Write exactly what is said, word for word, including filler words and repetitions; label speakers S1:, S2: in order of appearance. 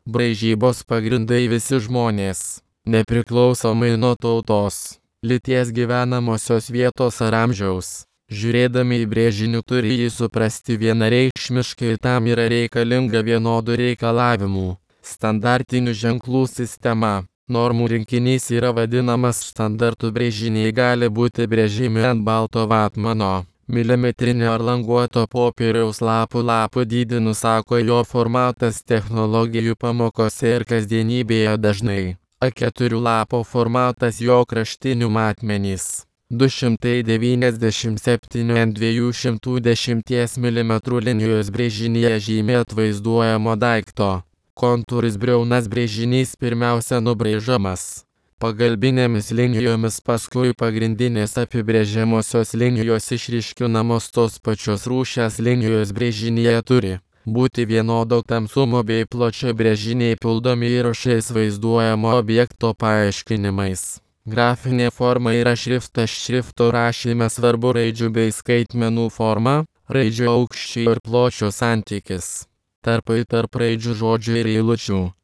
S1: Braižybos pagrindai visi žmonės, nepriklausomai nuo tautos, lyties, gyvenamosios vietos ar amžiaus. Žiūrėdami į brėžinį turi jį suprasti vienareikšmiškai ir tam yra reikalinga vienodų reikalavimų. Standartinių ženklų sistema. Normų rinkinys yra vadinamas standartų. Brėžiniai gali būti brėžiami ant balto vatmano, milimetrinio ar languoto popieriaus lapų. Lapų dydį nusako jo formatas. Technologijų pamokose ir kasdienybėje dažnai A keturi lapo formatas, jo kraštinių matmenys du šimtai devyniasdešimt septyni ant dviejų šimtų dešimties milimetrų linijos brėžinyje žymė atvaizduojamo daikto kontūrus. Briaunas brėžinys pirmiausia nubraižomas pagalbinėmis linijomis, paskui pagrindinės apibrėžiamosios linijos išryškinamos. Tos pačios rūšies linijos brėžinyje turi būti vienodo tamsumo bei pločio. Brėžiniai pildomi įrašais vaizduojamo objekto paaiškinimais. Grafinė forma yra šriftas. Šrifto rašyme svarbu raidžių bei skaitmenų forma, raidžių aukščio ir pločio santykis, tarpai tarp raidžių, žodžių ir eilučių.